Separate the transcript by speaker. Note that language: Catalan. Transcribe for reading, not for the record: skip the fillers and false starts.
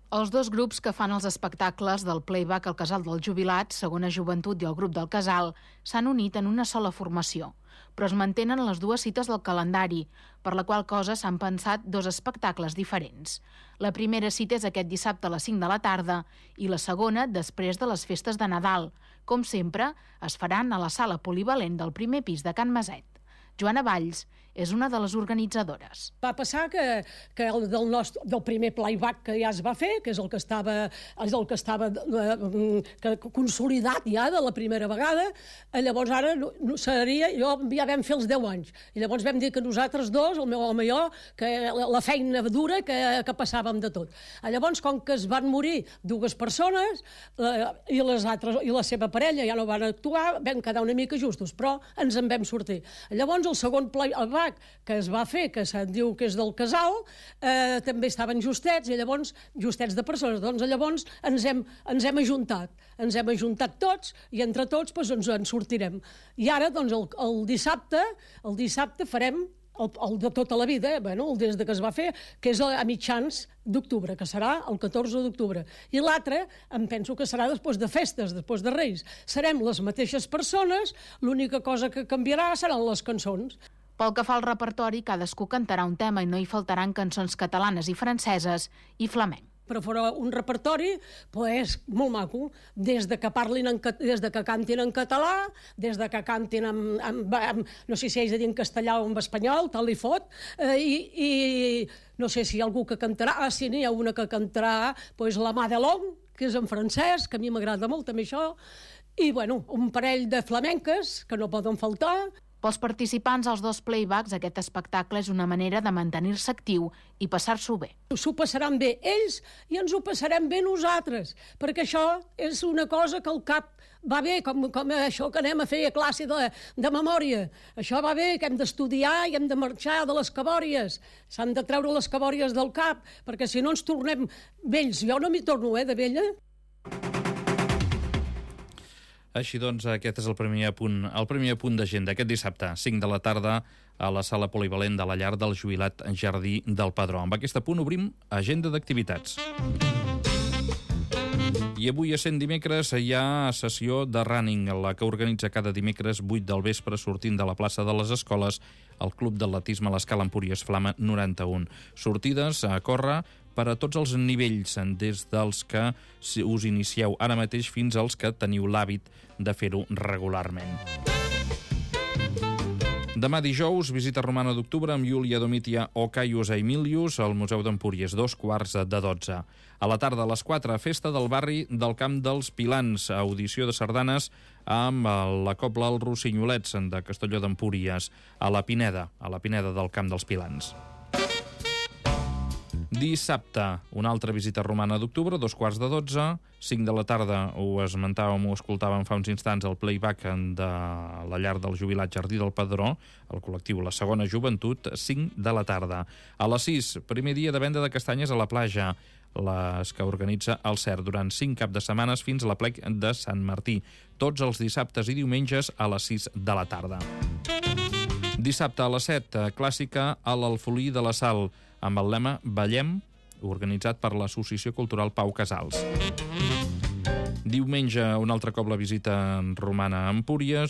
Speaker 1: Els dos grups que fan els espectacles del Playback al Casal dels Jubilats, Segona Joventut i el grup del Casal, s'han unit en una sola formació, però es mantenen les dues cites del calendari, per la qual cosa s'han pensat dos espectacles diferents. La primera cita és aquest dissabte a les 5 de la tarda i la segona després de les festes de Nadal. Com sempre, es faran a la sala polivalent del primer pis de Can Maset. Joana Valls és una de les organitzadores.
Speaker 2: Va passar que del primer playback que ja es va fer, que és el que estava consolidat ja de la primera vegada, llavors ara ja vam fer els 10 anys. I llavors vam dir que nosaltres dos, el meu home i jo, que la feina dura que passàvem de tot. Llavors, com que es van morir dues persones i la seva parella ja no van actuar, vam quedar una mica justos, però ens en vam sortir. Llavors, el segon playback que es va fer, que se'n diu que és del Casal, també estaven justets, i llavors, justets de persones, doncs llavors ens hem ajuntat tots, i entre tots ens en sortirem. I ara, doncs, el dissabte farem el de tota la vida, el des que es va fer, que és a mitjans d'octubre, que serà el 14 d'octubre. I l'altre, em penso que serà després de festes, després de Reis. Serem les mateixes persones, l'única cosa que canviarà seran les cançons.
Speaker 1: Pel que fa al repertori, cadascú cantarà un tema i no hi faltaran cançons catalanes i franceses i flamenc.
Speaker 2: Però farà un repertori molt maco, des de que cantin en català, des de que cantin no sé si haig de dir en castellà o en espanyol, tal i fot, i no sé si hi ha algú que cantarà, n'hi ha una que cantarà La mà de l'Om, que és en francès, que a mi m'agrada molt també això, i un parell de flamenques que no poden faltar.
Speaker 1: Pels participants als dos playbacks, aquest espectacle és una manera de mantenir-se actiu i passar-s'ho bé.
Speaker 2: S'ho passaran bé ells i ens ho passarem bé nosaltres, perquè això és una cosa que al cap va bé, com això que anem a fer a classe de memòria. Això va bé, que hem d'estudiar i hem de marxar de les cabòries. S'han de treure les cabòries del cap, perquè si no ens tornem vells. Jo no m'hi torno, de vella.
Speaker 3: Així doncs, aquest és el primer apunt d'agenda. Aquest dissabte, 5 de la tarda, a la sala polivalent de la llar del Jubilat Jardí del Pedró. Amb aquest apunt obrim agenda d'activitats. I avui, essent dimecres, hi ha sessió de running, la que organitza cada dimecres 8 del vespre, sortint de la plaça de les Escoles, el Club d'Atletisme a l'Escala Empúries Flama 91. Sortides a córrer per a tots els nivells, des dels que us inicieu ara mateix fins als que teniu l'hàbit de fer-ho regularment. Demà dijous, visita romana d'octubre amb Iulia Domitia o Caius Aemilius al Museu d'Empúries, 2:15. A la tarda, a les 4, festa del barri del Camp dels Pilans, audició de sardanes amb la Cobla Els Rossinyolets de Castelló d'Empúries, a la Pineda del Camp dels Pilans. Dissabte, una altra visita romana d'octubre, 2:15, 5 de la tarda, ho escoltàvem fa uns instants, el playback de la llar del Jubilat Jardí del Pedró, el col·lectiu La Segona Joventut, 5 de la tarda. A les 6, primer dia de venda de castanyes a la platja, les que organitza el CERT durant 5 caps de setmanes fins a l'Aplec de Sant Martí, tots els dissabtes i diumenges a les 6 de la tarda. Dissabte a les 7, clàssica a l'Alfolí de la Sal, amb el lema Ballem, organitzat per l'Associació Cultural Pau Casals. Diumenge, un altre cop la visita romana a Empúries,